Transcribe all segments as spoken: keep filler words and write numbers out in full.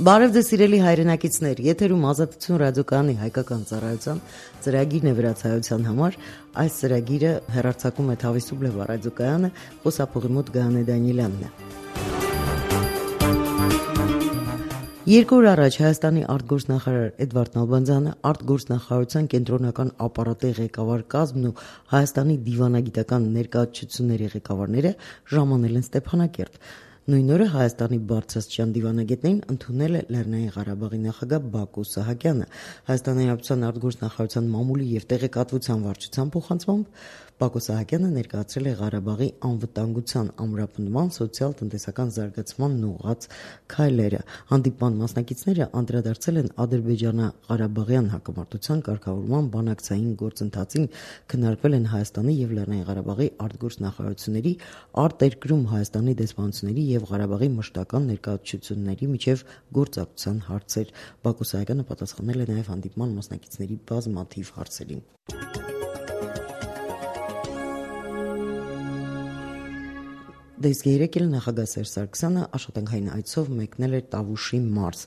Բարև ձեզ սիրելի հայրենակիցներ, եթերում Ազատություն ռադիոկայանի հայկական ծառայության ծրագիրն է վրացայության համար։ Այս ծրագիրը հեռարձակում է Թավիսուբլեվ ռադիոկայանը, խոսափողի մոտ Գայանե Դանիելյանն է։ Երկու օր առաջ Հայաստանի արտգործնախարար Էդվարդ Նալբանդյանը, արտգործնախարարության կենտրոնական ապարատի ղեկավար կազմն ու Հայաստանի դիվանագիտական ներկայացությունների ղեկավարները ժամանել են Ստեփանակերտ։ Նույն օրը Հայաստանի բարձրաստիճան դիվանագետներին ընդունել է Լեռնային Ղարաբաղի նախագահ Բակո Սահակյանը։ Հայաստանի Հանրապետության արտգործնախարարության մամուլի եւ տեղեկատվության վարչության փոխանցմամբ Բակո Սահակյանը ներկայացրել է Ղարաբաղի անվտանգության ամրապնդման, սոցիալ-տնտեսական զարգացմանն ուղղված քայլերը։ Հանդիպման մասնակիցները անդրադարձել են Ադրբեջանա-Ղարաբաղյան հակամարտության կարգավորման բանակցային գործընթացին, քննարկվել են Հայաստանի եւ Լեռնային Ղարաբաղի արտգործնախարարությունների, արտերկրում Հայաստանի դեսպանությունների եւ Ղարաբաղի մշտական ներկայացությունների միջև գործակցության հարցեր։ Բակո Սահակյանը պատասխանել է նաեւ հանդիպման մասնակիցների բազմաթիվ հարցերին։ Դեսկ երեկ էլ նախագահ Սերժ Սարգսյանը աշխատանքային այցով մեկնել էր Տավուշի մարզ։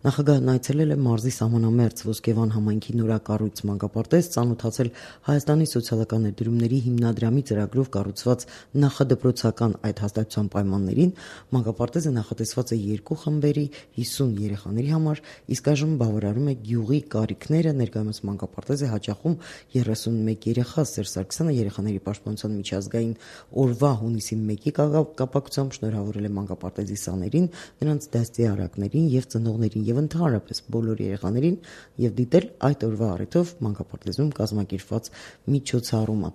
Նախագահն այցելել է մարզի սահմանամերձ Ոսկեվան համայնքի նորակառույց մանկապարտեզ, ծանոթացել Հայաստանի սոցիալական ներդրումների հիմնադրամի ծրագրով կառուցված նախադպրոցական այդ հաստատության պայմաններին։ Մանկապարտեզը նախատեսված է երկու խմբերի հիսուն երեխաների համար, իսկ այժմ բավարարում է գյուղի կարիքները։ Ներկայումս մանկապարտեզ է հաճախում երեսունմեկ երեխա։ Սերժ Սարգսյանը երեխաների պաշտպանության միջազգային օրվա հունիսի մեկի կապակցությամբ շնորհավորել է մանկապարտեզի սաներին, նրանց դաստիարակներին եւ ծնողներին եւ ընդհանրապես բոլոր երեխաներին եւ դիտել այդ օրվա առիթով մանկապարտեզում կազմակերպված միջոցառումը։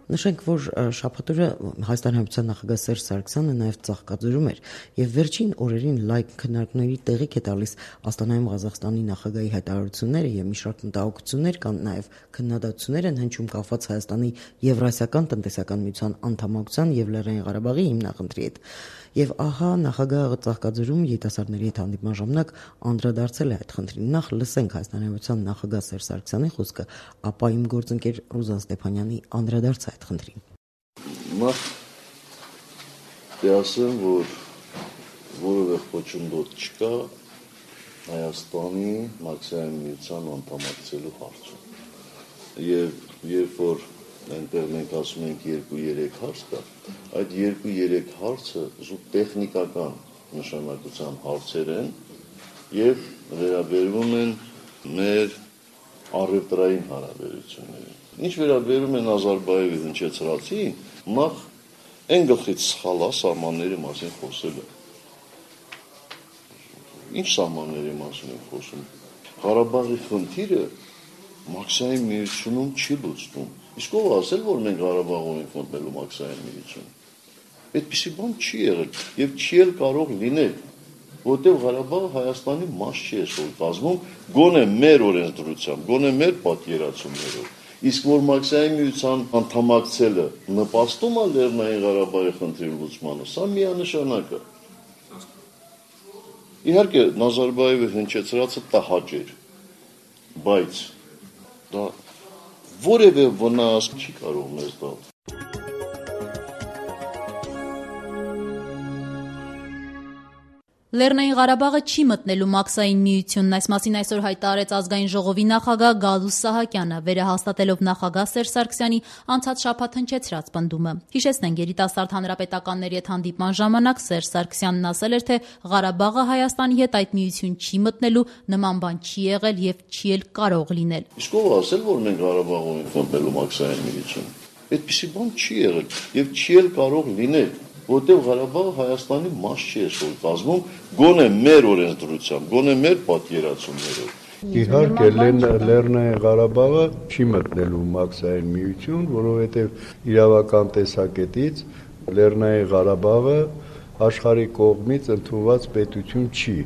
Նշենք, որ շաբաթօրը Հայաստանի Հանրապետության նախագահ Սերժ Սարգսյանը նաև Ծաղկաձորում էր եւ վերջին օրերին լայք քննարկումների տեղիք է տալիս Աստանայում Ղազախստանի նախագահի հայտարարությունները եւ մի շարք մտահոգություններ կան, նաեւ քննադատություններ են հնչում կապված Հայաստանի Եվրասիական տնտեսական միության անդամակցության եւ Լեռնային Ղարաբաղի հիմնախնդրի հետ։ Եվ ահա նախագահը Ծաղկաձորում երիտասարդների հետ հանդիպման ժամանակ անդրադարձել է այդ խնդրին։ Նախ լսենք Հայաստանի Հանրապետության նախագահ Սերժ Սարգսյանի խոսքը, ապա իմ գործընկեր Ռուզան Ստեփանյանի անդրադարձը այդ խնդրին։ Նախ դասեմ, որ որևէ խոչընդոտ չկա Հայաստանի մաքսիմալ միության անդամակցելու հարցում։ Եվ երբ որ այնտեղ մենք ասում ենք երկու-երեք հարց կա, այդ երկու-երեք հարցը զուտ տեխնիկական նշանակության հարցեր են եւ վերաբերվում են մեր առևտրային հարաբերություններին։ Ինչ վերաբերում է Նազարբաևի հնչեցրածին, նախ այն գլխից սխալ է սահմանների մասին խոսելը։ Ինչ սահմանների մասին են խոսում։ Ղարաբաղի խնդիրը մաքսային միությունում չի լուծվում։ Իսկ ով ասել, որ մենք Ղարաբաղում ենք մտնելու մաքսային միություն։ Այդպիսի բան չի եղել եւ չի էլ կարող լինել, որտեղ Ղարաբաղը Հայաստանի մաս չի այսօր կազմում, գոնե մեր օրենսդրությամբ, գոնե մեր պատկերացումներով։ Իսկ որ մաքսային միության անդամակցելը նպաստում է Լեռնային Ղարաբաղի խնդրի լուծմանը, սա միանշանակ է։ Իհարկե Նազարբաևը հնչեցրածը տհաճ էր, բայց դա որևէ վնաս չի կարող մեզ տալ։ Լեռնային Ղարաբաղը չի մտնելու մաքսային միությունն, այս մասին այսօր հայտարարեց ազգային ժողովի նախագահ Գալուստ Սահակյանը, վերահաստատելով նախագահ Սերժ Սարգսյանի անցած շաբաթ հնչեցրած պնդումը։ Հիշեցնենք, երիտասարդ հանրապետականների հետ հանդիպման ժամանակ Սերժ Սարգսյանն ասել էր, թե Ղարաբաղը Հայաստանի հետ այդ միություն չի մտնելու, նման բան չի եղել եւ չի էլ կարող լինել։ Իսկ ով ասել, որ մենք Ղարաբաղում ենք մտնելու մաքսային միություն։ Այդպիսի բան չի եղել եւ չի էլ կարող լինել, որտեղ Ղարաբաղը Հայաստանի մաս չի այսօր կազմում, գոնե մեր օրենսդրությամբ, գոնե մեր պատկերացումներով։ Իհարկե Լեռնային Ղարաբաղը չի մտնելու մաքսային միություն, որովհետև իրավական տեսակետից Լեռնային Ղարաբաղը աշխարհի կողմից ընդունված պետություն չի։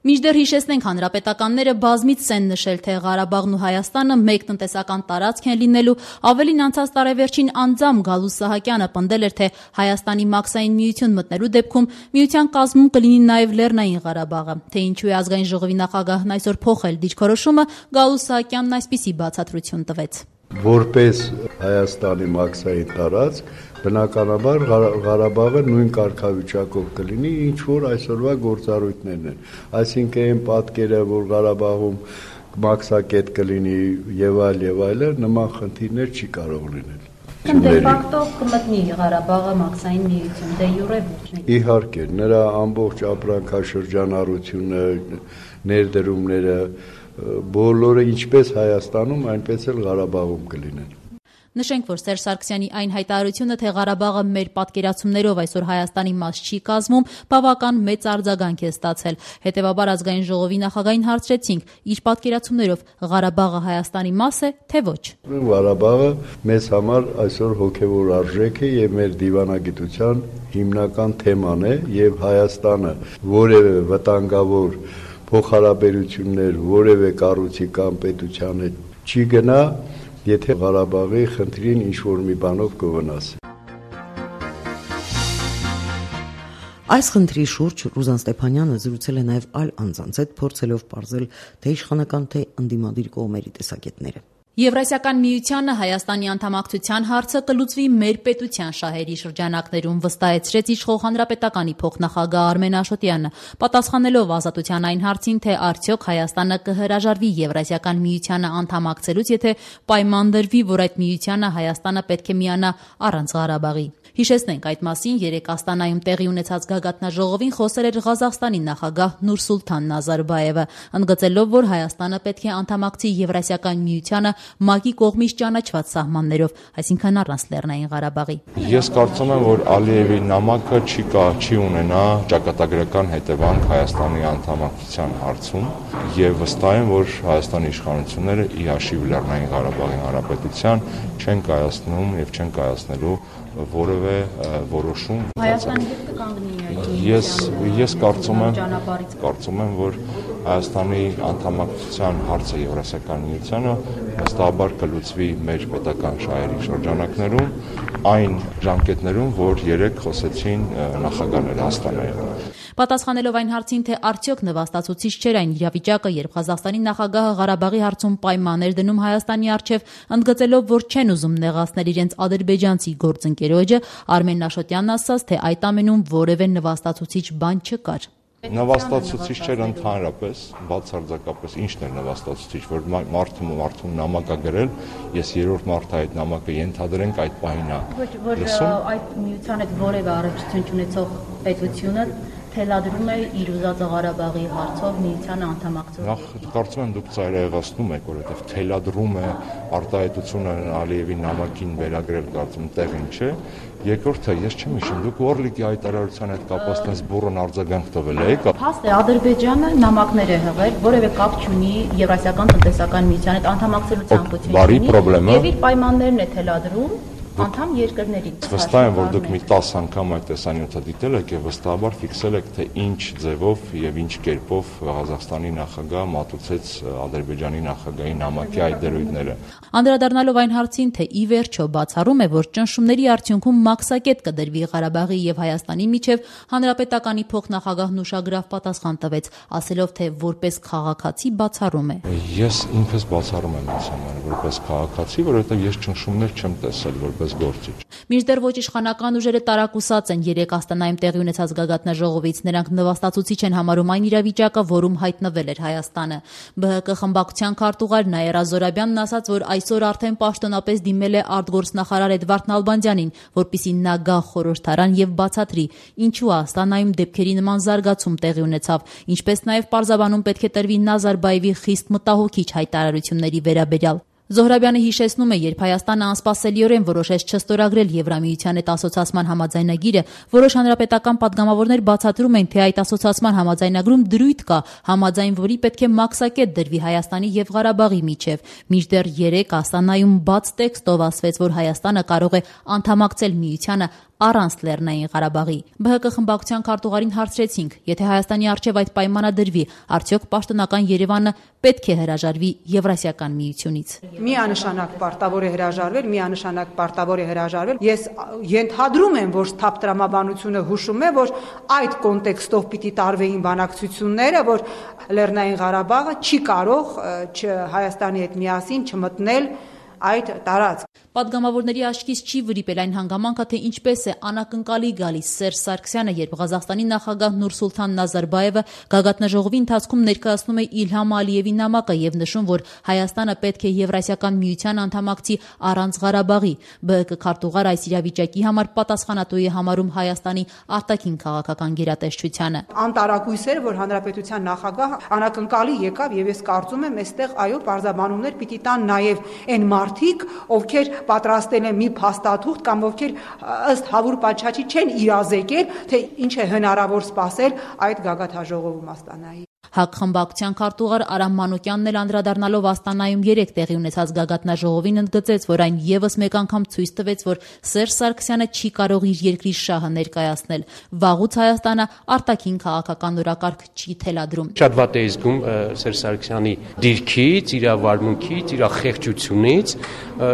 Մինչդեռ հիշեցնենք, հանրապետականները բազմից են նշել, թե Ղարաբաղն ու Հայաստանը մեկ տնտեսական տարածք են լինելու, ավելին անցած տարեվերջին անձամբ Գալուստ Սահակյանը պնդել էր, թե Հայաստանի մաքսային միություն մտնելու դեպքում միության կազմում կլինի նաև Լեռնային Ղարաբաղը։ Թե ինչու է ազգային ժողովի նախագահն այսօր փոխել դիրքորոշումը, Գալուստ Սահակյանն այսպիսի բացատրություն տվեց։ Որպես Հայաստանի մաքսային տարածք, բնականաբար Ղարաբաղը նույն կարգավիճակով կլինի, ինչ որ այսօրվա գործառույթներն են։ Այսինքն այն պատկերը, որ Ղարաբաղում մաքսակետ կլինի եւ այլ եւ այլը, նման խնդիրներ չի կարող լինել։ Դե ֆակտո կմտնի Ղարաբաղը մաքսային միություն, դե յուրե ոչ։ Իհարկե, նրա ամբողջ ապրանքաշրջանառությունը, ներդրումները, բոլորը ինչպես Հայաստանում, այնպես էլ Ղարաբաղում կլինեն։ Նշենք, որ Սերժ Սարգսյանի այն հայտարարությունը, թե Ղարաբաղը մեր պատկերացումներով այսօր Հայաստանի մաս չի կազմում, բավական մեծ արձագանք է ստացել։ Հետևաբար ազգային ժողովի նախագահին հարցրեցինք, իր պատկերացումներով Ղարաբաղը Հայաստանի մաս է, թե ոչ։ Ղարաբաղը մեզ համար այսօր հոգևոր արժեք է եւ մեր դիվանագիտության հիմնական թեման է եւ Հայաստանը որևէ վտանգավոր փոխհարաբերություններ որևէ կառույցի կամ պետության հետ չի գնա, եթե Ղարաբաղի խնդրին ինչ-որ մի բանով կվնասի։ Այս խնդրի շուրջ Ռուզան Ստեփանյանը զրուցել է նաև այլ անձանց հետ, փորձելով պարզել թե իշխանական, թե ընդդիմադիր կողմերի տեսակետները։ Եվրասիական միությանը Հայաստանի անդամակցության հարցը կլուծվի մեր պետության շահերի շրջանակներում, վստահեցրեց իշխող հանրապետականի փոխնախագահ Արմեն Աշոտյանը, պատասխանելով Ազատության այն հարցին, թե արդյոք Հայաստանը կհրաժարվի Եվրասիական միությանը անդամակցելուց, եթե պայման դրվի, որ այդ միությանը Հայաստանը պետք է միանա առանց Ղարաբաղի։ Հիշեցնենք, այդ մասին երեկ Աստանայում տեղի ունեցած գագաթնաժողովին խոսել էր Ղազախստանի նախագահ Նուրսուլթան Նազարբաևը, ընդգծելով, որ Հայաստանը պետք է անդամակցի Եվրասիական միությանը ՄԱԿ-ի կողմից ճանաչված սահմաններով, այսինքն առանց Լեռնային Ղարաբաղի։ Ես կարծում եմ, որ Ալիևի նամակը չի կա, չի ունենա ճակատագրական հետևանք Հայաստանի անդամակցության հարցում եւ վստահ եմ, որ Հայաստանի իշխանությունները ի հաշիվ Լեռնային Ղարաբաղի Հանրապետության չեն կայացնում եւ չեն կայացնելու որևէ որոշում։ Հայաստանը երբ կկանգնի այդ Ես ես կարծում եմ, կարծում եմ, որ Հայաստանի անդամակցության հարցը Եվրասիական միությանը վստահաբար կլուծվի մեր պետական շահերի շրջանակներում, այն ժամկետներում, որ երեք խոսեցին նախագահները Աստանայում։ Պատասխանելով այն հարցին, թե արդյոք նվաստացուցիչ չէր այն իրավիճակը, երբ Ղազախստանի նախագահը Ղարաբաղի հարցում պայմաններ դնում Հայաստանի առջև, ընդգծելով, որ չեն ուզում նեղացնել իրենց ադրբեջանցի գործընկերոջը, Արմեն Աշոտյանն ասաց, թե այդ ամենում որևէ նվաստացուցիչ բան չկար։ Նվաստացուցիչ չէր ընդհանրապես, բացարձակապես ինչն էր նվաստացուցիչ, որ մարդը մարդուն նամակ է գրել, ես երրորդ մարդը այդ նամակը ենթադրենք այդ պահին է։ Որ այդ միության հետ որևէ առնչություն չունեցող պետությունը թելադրում է իր ուզածը Ղարաբաղի հարցով միությանը անդամակցել։ Նախ կարծում եմ դուք ծայրահեղացնում եք, որովհետև թելադրում է արտահայտությունը Ալիևի նամակին վերագրել, կարծում տեղին չէ։ Երկրորդը, ես չեմ հիշում, դուք Օրլիկի հայտարարության հետ կապված տես բուրըն արձագանք տվել եք։ Փաստ է, Ադրբեջանը նամակներ է հղել, որևէ կապ չունի Եվրասիական տնտեսական միության հետ անդամակցելու ցանկություն չունի, եւ իր պայմաններն է թելադրում անդամ երկրներին։ Վստահ եմ, որ դուք մի տասը անգամ այդ տեսանյութը դիտել եք եւ վստահաբար ֆիքսել եք, թե ինչ ձևով եւ ինչ կերպով Ղազախստանի նախագահը մատուցեց Ադրբեջանի նախագահի նամակի այդ դերույթները։ Անդրադառնալով այն հարցին, թե ի վերջո բացառում է, որ ճնշումների արդյունքում մաքսակետ կդրվի Ղարաբաղի եւ Հայաստանի միջև, հանրապետականի փոխնախագահն ուշագրավ պատասխան տվեց, ասելով, թե որպես քաղաքացի բացառում է։ Ես ինքս բացառում եմ այս համար, որպես քաղաքացի, որովհետեւ ես ճնշումներ չեմ տեսել, որպես գործիչ։ Մինչդեռ ոչ իշխանական ուժերը տարակուսած են երեք Աստանայում տեղի ունեցած գագաթնաժողովից, նրանք նվաստացուցիչ են համարում այն իրավիճակը, որում հայտնվել էր Հայաստանը։ ԲՀԿ խմբակցության քարտուղար Նաիրա Զորաբյանն ասաց, որ այսօր արդեն պաշտոնապես դիմել է արտգործնախարար Էդվարդ Նալբանդյանին, որպեսզի նա գա խորհրդարան եւ բացատրի, ինչու Աստանայում դեպքերի նման զարգացում տեղի ունեցավ, ինչպես նաեւ պարզաբանում պետք է տրվի Նազարբաևի խիստ մտահոգիչ հայտարարությունների վերաբերյալ։ Զոհրաբյանը հիշեցնում է, երբ Հայաստանը անսպասելիորեն որոշեց չստորագրել Եվրամիության հետ ասոցիացման համաձայնագիրը, որոշ հանրապետական պատգամավորներ բացատրում են, թե այդ ասոցիացման համաձայնագրում դրույթ կա, համաձայն որի պետք է մաքսակետ դրվի Հայաստանի եւ Ղարաբաղի միջև։ Մինչդեռ երեք Աստանայում բաց տեքստով ասվեց, որ Հայաստանը կարող է անդամակցել միությանը առանց Լեռնային Ղարաբաղի։ ԲՀԿ խմբակցության քարտուղարին հարցրեցինք, եթե Հայաստանի առջև այդ պայմանը դրվի, արդյոք պաշտոնական Երևանը պետք է հրաժարվի Եվրասիական միությունից։ Միանշանակ պարտավոր է հրաժարվել, միանշանակ պարտավոր է հրաժարվել։ Ես ենթադրում եմ, որ թափ տրամաբանությունը հուշում է, որ այդ կոնտեքստով պիտի տարվեին բանակցությունները, որ Լեռնային Ղարաբաղը չի կարող Հայաստանի հետ միասին չմտնել այդ տարածք։ Պատգամավորների աչքից չի վրիպել այն հանգամանքը, թե ինչպես է անակնկալի գալիս Սերժ Սարգսյանը, երբ Ղազախստանի նախագահ Նուրսուլթան Նազարբաևը գագաթնաժողովի ընթացքում ներկայացնում է Իլհամ Ալիևի նամակը եւ նշում, որ Հայաստանը պետք է Եվրասիական միության անդամակցի առանց Ղարաբաղի։ ԲՀԿ քարտուղար այս իրավիճակի համար պատասխանատու է համարում Հայաստանի արտաքին քաղաքական գերատեսչությանը։ Անտարակույս էր, որ հանրապետության նախագահ անակնկալի եկավ եւ ես կարծում եմ այստեղ այո պարզաբանումներ պիտի տան նաեւ այն մարդիկ, ովքեր պատրաստել են մի փաստաթուղթ կամ ովքեր ըստ Հավուր Պաչաչի չեն իրազեկել, թե ինչ է հնարավոր սպասել այդ գագաթնաժողովում Աստանայի։ ՀԱԿ խմբակցության քարտուղար Արամ Մանուկյանն էլ անդրադառնալով Աստանայում երեք տեղի ունեցած գագաթնաժողովին ընդգծեց, որ այն եւս մեկ անգամ ցույց տվեց, որ Սերժ Սարգսյանը չի կարող իր երկրի շահը ներկայացնել։ Վաղուց Հայաստանը արտաքին քաղաքական օրակարգ չի թելադրում։ Շատ վատ է զգում Սերժ Սարգսյանի դիրքից, իր վարմունքից, իր խեղճությունից,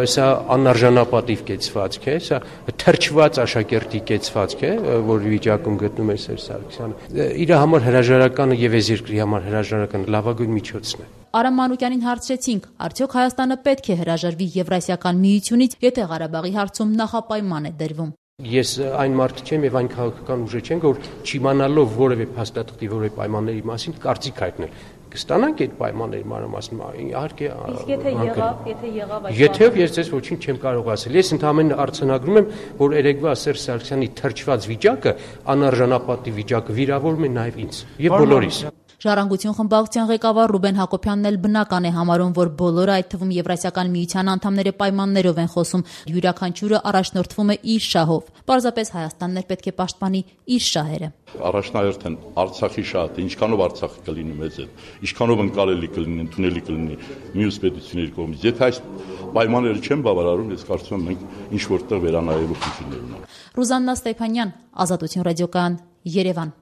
սա անարժանապատիվ կեցվածք է, սա թրջված աշակերտի կեցվածք է, որ վիճակում գտնում է Սերժ Սարգսյանը։ Իր համար հրաժարականը եւ այս երկրի համար հրաժարական լավագույն միջոցն է։ Արամ Մանուկյանին հարցրեցինք, արդյոք Հայաստանը պետք է հրաժարվի Եվրասիական միությունից, եթե Ղարաբաղի հարցում նախապայման է դրվում։ Ես այն մարդը չեմ եւ այն քաղաքական ուժը չեմ, որ չիմանալով որևէ փաստաթղթի որևէ պայմանների մասին կարծիք հայտնել։ Կստանանք այդ պայմանների մանրամասն, իհարկե։ Իսկ եթե եղավ, եթե եղավ այդ Եթե ես ձեզ ոչինչ չեմ կարող ասել, ես ընդհանրապես արձանագրում եմ, որ երեկվա Սերժ Սարգսյանի թրջված վիճակը, անարժանապատիվ վիճակը վիրավորում է նաեւ ինձ եւ բոլորիս։ Ժառանգություն խմբակցության ղեկավար Ռուբեն Հակոբյանն էլ բնական է համարում, որ բոլորը, այդ թվում Եվրասիական միության անդամները պայմաններով են խոսում, յուրաքանչյուրը առաջնորդվում է իր շահով։ Պարզապես Հայաստանն էլ պետք է պաշտպանի իր շահերը։ Առաջնահերթ են Արցախի շահը, ինչքանով Արցախը կլինի մեծ է, ինչքանով ընկալելի կլինի, ընդունելի կլինի մյուս պետությունների կողմից։ Եթե այս պայմանները չեն բավարարում, ես կարծում եմ մենք ինչ որտեղ վերանայելու խնդիրներ ունենք։ Ռուզաննա Ստեփանյան, Ազատություն ռադիոկայան, Երևան։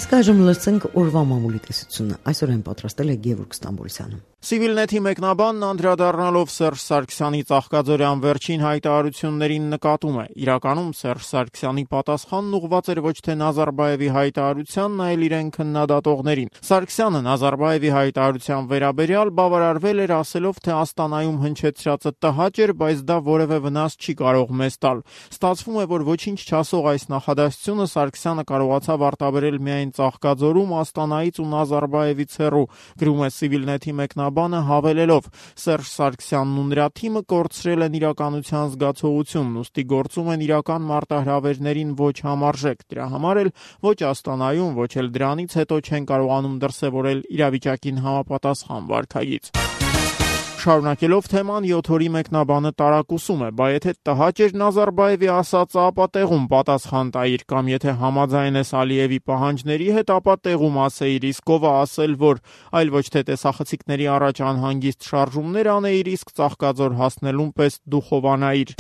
Իսկ այժմ լսենք օրվա մամուլի տեսությունը։ Այսօր են պատրաստել է Գևորգ Ստամբոլյանը։ Civilnet-ի մեկնաբանն անդրադառնալով Սերժ Սարգսյանի ծաղկաձորյան վերջին հայտարարություններին նկատում է. իրականում Սերժ Սարգսյանի պատասխանն ուղղված էր ոչ թե Նազարբաևի հայտարարությանն, այլ իրեն քննադատողներին։ Սարգսյանը Նազարբաևի հայտարարության վերաբերյալ բավարարվել էր ասելով, թե Աստանայում հնչեցրածը տհաճ էր, բայց դա որևէ վնաս չի կարող մեզ տալ։ Ստացվում է, որ ոչինչ չասող այս նախադասությունը Սարգսյանը կարողացավ արտաբերել միայն Ծաղկաձորում, Աստանայից ու Նազարբաևից հեռու, գրում է Civilnet-ի մեկնաբանը հավելելով. Սերժ Սարգսյանն ու նրա թիմը կորցրել են իրականության զգացողությունն, ուստի գործում են իրական մարտահրավերներին ոչ համարժեք։ Դրա համար էլ ոչ Աստանայում, ոչ էլ դրանից հետո չեն կարողանում դրսևորել իրավիճակին համապատասխան վարքագիծ։ Շարունակելով թեման, յոթ օրի մեկնաբանը տարակուսում է, բա եթե տհաճ էր Նազարբաևի ասածը, ապա տեղում պատասխան տայիր, կամ եթե համաձայն ես Ալիևի պահանջների հետ, ապա տեղում ասեիր, իսկ ով է ասել, որ այլ ոչ թե տեսախցիկների առաջ անհանգիստ շարժումներ անեիր, իսկ Ծաղկաձոր հասնելուն պես դու խովանայիր։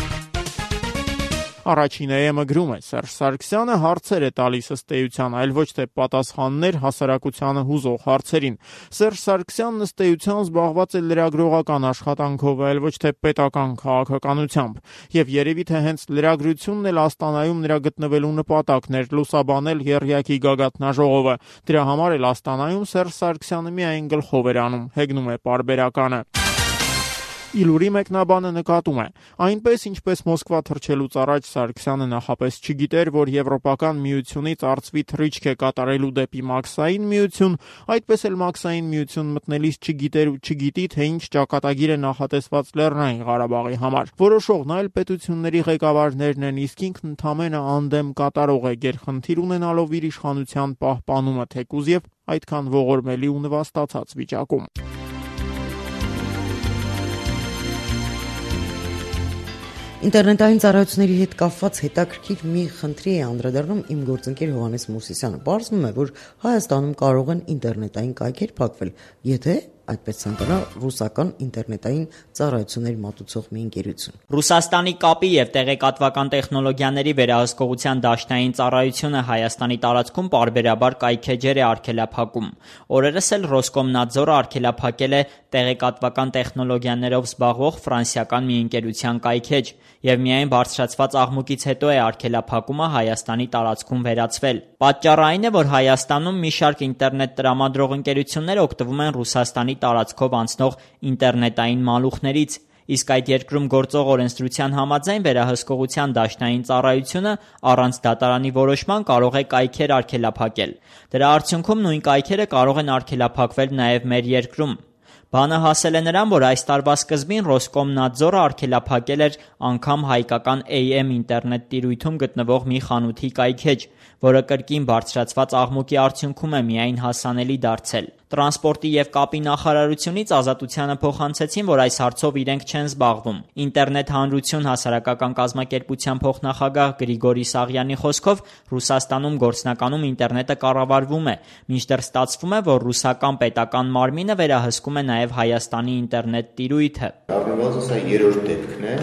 Առաջին է գրում է. Սերժ Սարգսյանը հարցեր է տալիս ըստ էության, այլ ոչ թե պատասխաններ հասարակությանը հուզող հարցերին։ Սերժ Սարգսյանն ըստ էության զբաղված է լրագրողական աշխատանքով, այլ ոչ թե պետական քաղաքականությամբ։ Եվ երևի թե հենց լրագրությունն էլ Աստանայում նրա գտնվելու նպատակն էր՝ լուսաբանել եռյակի գագաթնաժողովը։ Դրա համար էլ Աստանայում Սերժ Սարգսյանը միայն գլխով էր անում, հեգնում է պարբերականը։ Իլուրի մեկնաբանը նկատում է. այնպես ինչպես Մոսկվա թռչելուց առաջ Սարգսյանը նախապես չգիտեր, որ Եվրոպական միությունից արծվի թռիչք է կատարելու դեպի Մաքսային միություն, այդպես էլ Մաքսային միություն մտնելիս չգիտեր ու չգիտի, թե ինչ ճակատագիր է նախատեսված Լեռնային Ղարաբաղի համար։ Որոշողն այլ պետությունների ղեկավարներն են, իսկ ինքն ընդամենը անդեմ կատարող է, գերխնդիր ունենալով իր իշխանության պահպանումը, թեկուզ եւ այդքան ողորմելի ու նվաստացած վիճակում։ Ինտերնետային ծառայությունների հետ կապված հետաքրքիր մի խնդրի է անդրադառնում իմ գործընկեր Հովհաննես Մուսիսյանը։ Պարզվում է, որ Հայաստանում կարող են ինտերնետային կայքեր փակվել, եթե այդպես ցանկանա ռուսական ինտերնետային ծառայություններ մատուցող մի ընկերություն։ Ռուսաստանի կապի եւ տեղեկատվական տեխնոլոգիաների վերահսկողության դաշնային ծառայությունը Հայաստանի տարածքում պարբերաբար կայքեջեր է արգելափակում։ Օրերս էլ Ռոսկոմնadzor-ը արգելափակել է տեղեկատվական տեխնոլոգիաներով զբաղվող ֆրանսիական մի ընկերության կայքեջ, եւ միայն բարձրացված աղմուկից հետո է արգելափակումը Հայաստանի տարածքում վերացվել։ Պատճառը այն է, որ Հայաստանում մի շարք ինտերնետ տրամադրող ընկերություններ օգտվում են Ռուսաստանի տարածքով անցնող ինտերնետային մալուխներից, իսկ այդ երկրում գործող օրենսդրության համաձայն վերահսկողության դաշնային ծառայությունը առանց դատարանի որոշման կարող է կայքեր արգելափակել։ Դրա արդյունքում նույն կայքերը կարող են արգելափակվել նաև մեր երկրում։ Բանը հասել է նրան, որ այս տարվա սկզբին Ռոսկոմնadzor-ը արգելափակել էր անգամ հայկական A M ինտերնետ տիրույթում գտնվող մի խանութի կայքեջ, որը կրկին բարձրացված աղմուկի արդյունքում է միայն հասանելի դարձել։ Տրանսպորտի եւ կապի նախարարությունից Ազատությանը փոխանցեցին, որ այս հարցով իրենք չեն զբաղվում։ Ինտերնետ հանրություն հասարակական կազմակերպության փոխնախագահ Գրիգորի Սաղյանի խոսքով Ռուսաստանում գործնականում ինտերնետը կառավարվում է, մինչդեռ ստացվում է, որ ռուսական պետական մարմինը վերահսկում է նաև Հայաստանի ինտերնետ տիրույթը։ Առնվազն սա երրորդ դեպքն է,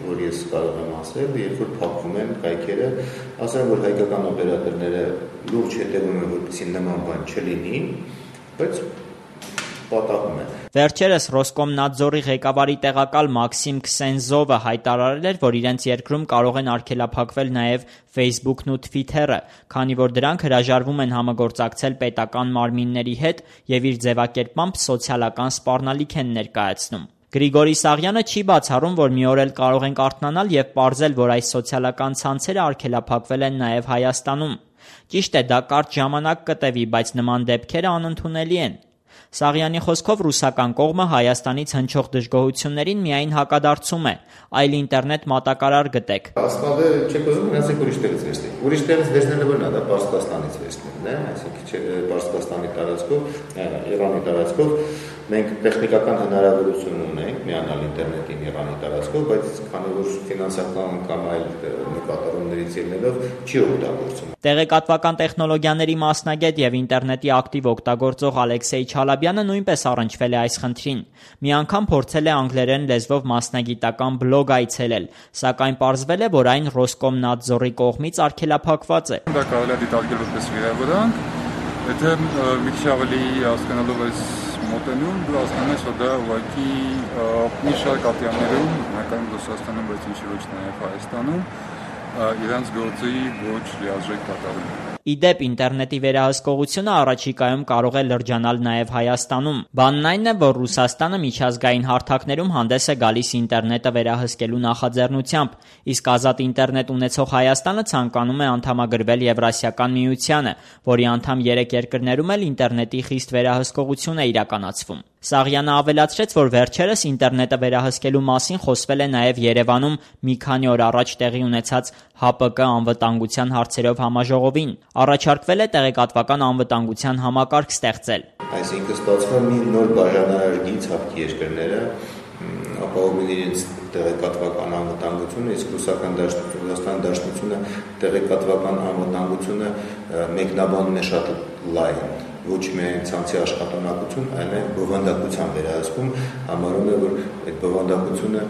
որ ես կարող եմ ասել, երբ որ փակվում են կայքերը, ասեմ, որ հայկական օպերատորները լուրջ հետևում են, որպեսզի նման բան չլինի, բայց պատահում է։ Վերջերս Ռոսկոմնadzor-ի ղեկավարի տեղակալ Մաքսիմ Քսենզովը հայտարարել էր, որ իրենց երկրում կարող են արգելափակվել նաև Facebook-ն ու Twitter-ը, քանի որ դրանք հրաժարվում են համագործակցել պետական մարմինների հետ եւ իր ձևակերպմամբ սոցիալական սպառնալիք են ներկայացնում։ Գրիգորի Սաղյանը չի բացառում, որ մի օր էլ կարող ենք արթնանալ եւ պարզել, որ այս սոցիալական ցանցերը արգելափակվել են նաև Հայաստանում։ Ճիշտ է, դա կարճ ժամանակ կտևի, բայց նման դեպքերը անընդունելի են։ Սաղյանի խոսքով ռուսական կողմը Հայաստանից հնչող դժգոհություններին միայն հակադարձում է, այլ ինտերնետ մատակարար գտեք։ Ասպավը չեք ուզում գնացեք ուրիշ տեղից վերցնել։ Ուրիշ տեղից վերցնելը բնա, դա Պարսկաստանից վերցնելն է, այսինքն Պարսկաստանի տարածքով, Իրանի տարածքով մենք տեխնիկական հնարավորություն ունենք միանալ ինտերնետին Իրանի տարածքով, բայց քանի որ ֆինանսական կամ այլ նկատառումներից ելնելով չի օգտագործում։ Տեղեկատվական տեխնոլոգիաների մասնագետ եւ ինտերնետի ակտիվ օգտագործող Ալեքսեյ Չալաբյանը նույնպես առնչվել է այս խնդրին։ Մի անգամ փորձել է անգլերեն լեզվով մասնագիտական բլոգ այցելել, սակայն պարզվել է, որ այն Ռոսկոմնadzor-ի կողմից արգելափակված է։ Դա կարելի է դիտարկել որպես վիրավորանք, եթե մի քիչ ավելի հասկանալով այս մոտենում, դու հասկանում ես, որ դա ուղղակի մի շարք ատյաններում, հականում Ռուսաստանում, բայց ինչի ոչ նաև Հայաստանում, իրենց գործի ոչ լիարժեք կատարում։ Իդեպ ինտերնետի վերահսկողությունը առաջիկայում կարող է լրջանալ նաև Հայաստանում։ Բանն այն է, որ Ռուսաստանը միջազգային հարթակներում հանդես է գալիս ինտերնետը վերահսկելու նախաձեռնությամբ, իսկ ազատ ինտերնետ ունեցող Հայաստանը ցանկանում է անդամագրվել Եվրասիական միությանը, որի անդամ երեք երկրներում էլ ինտերնետի խիստ վերահսկողություն է իրականացվում։ Սաղյանը ավելացրեց, որ վերջերս ինտերնետը վերահսկելու մասին խոսվել է նաև Երևանում մի քանի օր առաջ տեղի ունեցած H P K անվտանգության հարցերով համաժողովին։ Առաջարկվել է տեղեկատվական անվտանգության համակարգ ստեղծել։ Այսինքն ստացվում մի նոր բաժանարար գիծ հապկի երկրները ապահովում իրենց տեղեկատվական անվտանգությունը, իսկ ռուսական դաշնությունը, դաշնությունը տեղեկատվական անվտանգությունը մեկնաբանում է շատ լայն, ոչ միայն ցանցի աշխատունակություն, այլ նաև բովանդակության վերահսկում, համարում է, որ այդ բովանդակությունը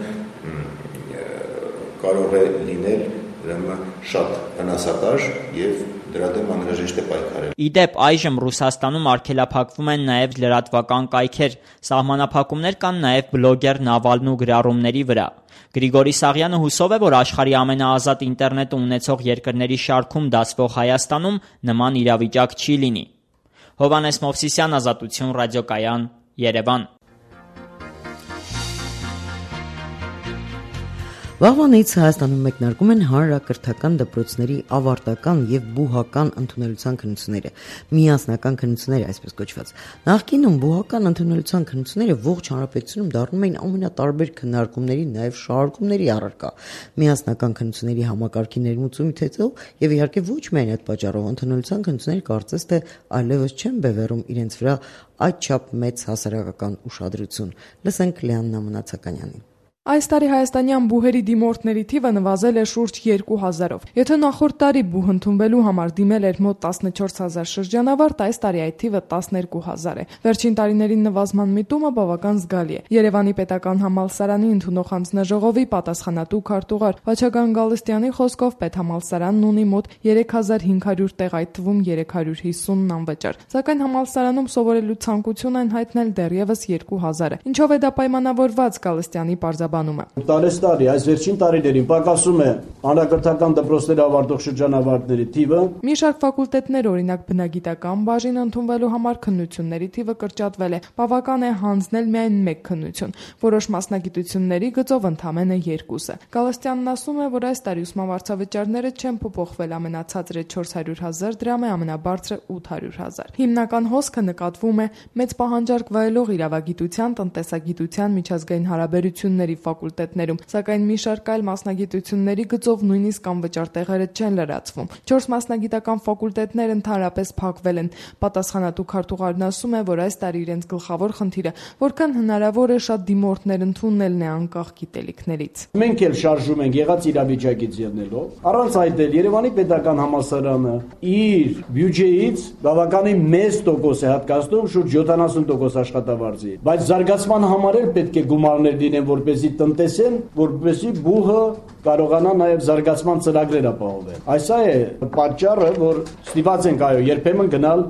կարող է լինել շատ վնասակար եւ դրա դեմ անհրաժեշտ է պայքարել։ Իդեպ այժմ Ռուսաստանում արգելափակվում են նաև լրատվական կայքեր, սահմանափակումներ կան նաև բլոգեր Նավալնու գրառումների վրա։ Գրիգորի Սաղյանը հուսով է, որ աշխարհի ամենաազատ ինտերնետը ունեցող երկրների շարքում դասվող Հայաստանում նման իրավիճակ չի լինի։ Հովհաննես Մովսիսյան, Ազատություն ռադիոկայան, Երևան։ Վաղվանից Հայաստանում մեկնարկում են հանրակրթական դպրոցների ավարտական եւ բուհական ընդունելության քննությունները, միասնական քննությունները, այսպես կոչված։ Նախկինում բուհական ընդունելության քննությունները ողջ հանրապետությունում դառնում էին ամենատարբեր քննարկումների, նաեւ շարժումների առարկա։ Միասնական քննությունների համակարգի ներմուծումից հետո եւ իհարկե ոչ միայն այդ պատճառով ընդունելության քննությունները կարծես թե այլևս չեն բևեռում իրենց վրա այդչափ մեծ հասարակական ուշադրություն։ Լսենք Լեաննա Մնացականյանին։ Այս տարի հայաստանյան բուհերի դիմորդների թիվը նվազել է շուրջ երկու հազարով։ Եթե նախորդ տարի բուհ ընդունվելու համար դիմել էր մոտ տասնչորս հազար շրջանավարտ, այս տարի այդ թիվը տասներկու հազար է։ Վերջին տարիներին նվազման միտումը բավական զգալի է։ Երևանի պետական համալսարանի ընդունող հանձնաժողովի պատասխանատու քարտուղար Վաչագան Գալստյանի խոսքով պետհամալսարանն ունի մոտ երեք հազար հինգ հարյուր տեղ, այդ թվում երեք հարյուր հիսունն անվճար։ Սակայն համալսարանում սովորելու ցանկություն են հայտնել դեռևս երկու հազար է։ Ինչով է դա պայմանավորված, Գալստյանի պարզաբանում է։ Տարեստարի այս վերջին տարիներին պակասում է հանրակրթական դպրոցների ավարտող շրջանավարտների թիվը։ Մի շարք ֆակուլտետներ, օրինակ բնագիտական բաժին ընդունվելու համար քննությունների թիվը կրճատվել է։ Բավական է հանձնել միայն մեկ քննություն։ Որոշ մասնագիտությունների գծով ընդամենը երկուսը։ Գալստյանն ասում է, որ այս տարի ուսումնավարձավճարները չեն փոփոխվել, ամենացածրը չորս հարյուր հազար դրամ է, ամենաբարձրը ութ հարյուր հազար։ Հիմնական հոսքը նկատվում է մեծ պահանջարկ վայելող իրավագիտության, տնտեսագիտության, միջազգային հարաբերությունների ֆակուլտետներում, սակայն մի շարք այլ մասնագիտությունների գծով նույնիսկ անվճար տեղերը չեն լրացվում։ Չորս մասնագիտական ֆակուլտետներ ընդհանրապես փակվել են։ Պատասխանատու քարտուղարն ասում է, որ այս տարի իրենց գլխավոր խնդիրը որքան հնարավոր է շատ դիմորդներ ընդունելն է անկախ գիտելիքներից։ Մենք էլ շարժում ենք եղած իրավիճակից ելնելով։ Առանց այդ էլ Երևանի պետական համալսարանը իր բյուջեից բավականին մեծ տոկոս է հատկացնում, շուրջ յոթանասուն տոկոս աշխատավարձի։ Բայց զարգացման համար էլ պետք է գումարներ դինեն, որպեսզի տնտեսեն, որպեսզի բուհը կարողանա նաև զարգացման ծրագրեր ապահովել։ Այս է պատճառը, որ ստիպված ենք այո երբեմն գնալ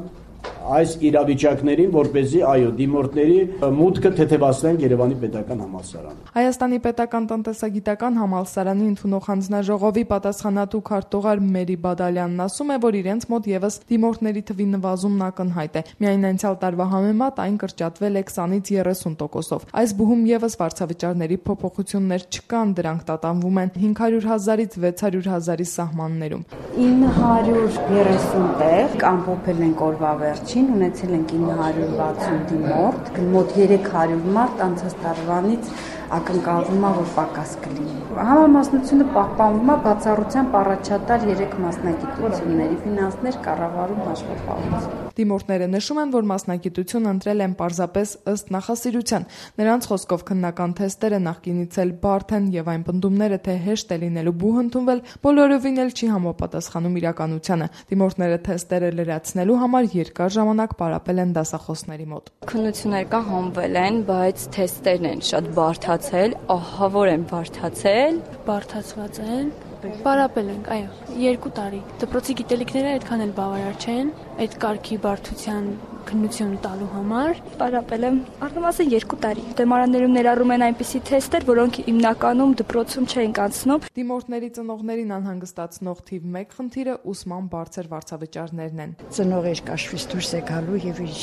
այս իրավիճակներին, որպեսզի այո դիմորդների մուտքը թեթևացնեն Երևանի պետական համալսարան։ Հայաստանի պետական տնտեսագիտական համալսարանի ընդունող հանձնաժողովի պատասխանատու քարտուղար Մերի Բադալյանն ասում է, որ իրենց մոտ եւս դիմորդների թվի նվազումն ակնհայտ է։ Միայն անցյալ տարվա համեմատ այն կրճատվել է քսանից երեսուն տոկոսով։ Այս բուհում եւս վարձավճարների փոփոխություններ չկան, դրանք տատանվում են հինգ հարյուր հազարից վեց հարյուր հազարի սահմաններում։ ինը հարյուր երեսուն տեղ ամփոփել են օրվա վերջին, ունեցել ենք ինը հարյուր վաթսուն դիմորդ, մոտ երեք հարյուր մարդ անցած տարվանից ակնկալվում է, որ պակաս կլինի։ Համամասնությունը պահպանվում է բացառությամբ առաջատար երեք մասնագիտությունների՝ ֆինանսներ, կառավարում, հաշվապահություն։ Դիմորդները նշում են, որ մասնագիտություն ընտրել են պարզապես ըստ նախասիրության։ Նրանց խոսքով քննական թեստերը նախկինից էլ բարդ են եւ այն պնդումները, թե հեշտ է լինելու բուհ ընդունվել, բոլորովին էլ չի համապատասխանում իրականությանը։ Դիմորդները թեստերը լրացնելու համար երկար ժամանակ պարապել են դասախոսների մոտ։ Քննություններ կա հանվել են, բայց թեստերն են շատ բարդացել, ահավոր են բարդացել, բարդացված են։ Պարապել ենք, այո, երկու տարի։ Դպրոցի գիտելիքները այդքան էլ բավարար չեն, այդ կարգի բարդության քննություն տալու համար։ Պարապել եմ առնվազն երկու տարի։ Դեմարաններում ներառում են այնպիսի թեստեր, որոնք հիմնականում դպրոցում չեն անցնում։ Դիմորդների ծնողներին անհանգստացնող թիվ մեկ խնդիրը ուսման բարձր վարձավճարներն են։ Ծնողը իր կաշվից դուրս է գալու եւ իր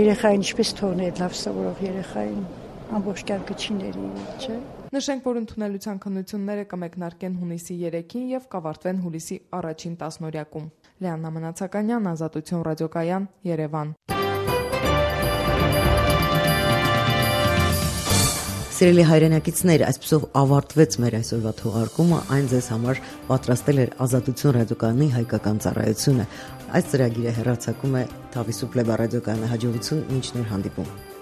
երեխային ինչպես թողնել լավ սովորող երեխային ամբողջ կյանքը չի ների, չէ՞։ Նշենք, որ ընդունելության քննությունները կմեկնարկեն հունիսի երեքին եւ կավարտվեն հուլիսի առաջին տասնօրյակում։ Լեաննա Մնացականյան, Ազատություն ռադիոկայան, Երևան։ Սիրելի հայրենակիցներ, այսպեսով ավարտվեց մեր այսօրվա թողարկումը, այն ձեզ համար պատրաստել էր Ազատություն ռադիոկայանի հայկական ծառայությունը։ Այս ծրագիրը հեռարձակում է Թավիսու Պլեբա ռադիոկայանի հաջողություն, մինչ նոր հանդիպում։